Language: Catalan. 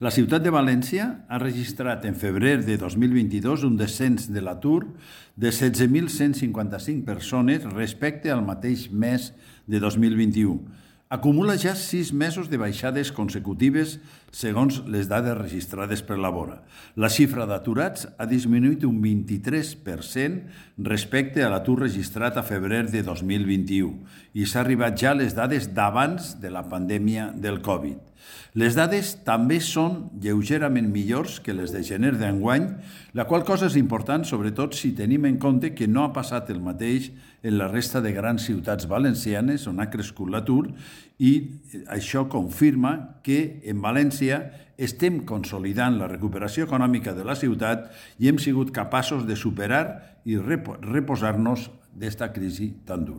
La ciutat de València ha registrat en febrer de 2022 un descens de l'atur de 16.155 persones respecte al mateix mes de 2021. Acumula ja 6 mesos de baixades consecutives segons les dades registrades per la Vora. La xifra d'aturats ha disminuït un 23% respecte a l'atur registrat a febrer de 2021 i s'ha arribat ja a les dades d'abans de la pandèmia del Covid. Les dades també són lleugerament millors que les de gener d'enguany, la qual cosa és important, sobretot si tenim en compte que no ha passat el mateix en la resta de grans ciutats valencianes on ha crescut l'atur i això confirma que en València estem consolidant la recuperació econòmica de la ciutat i hem sigut capaços de superar i reposar-nos d'esta crisi tan dura.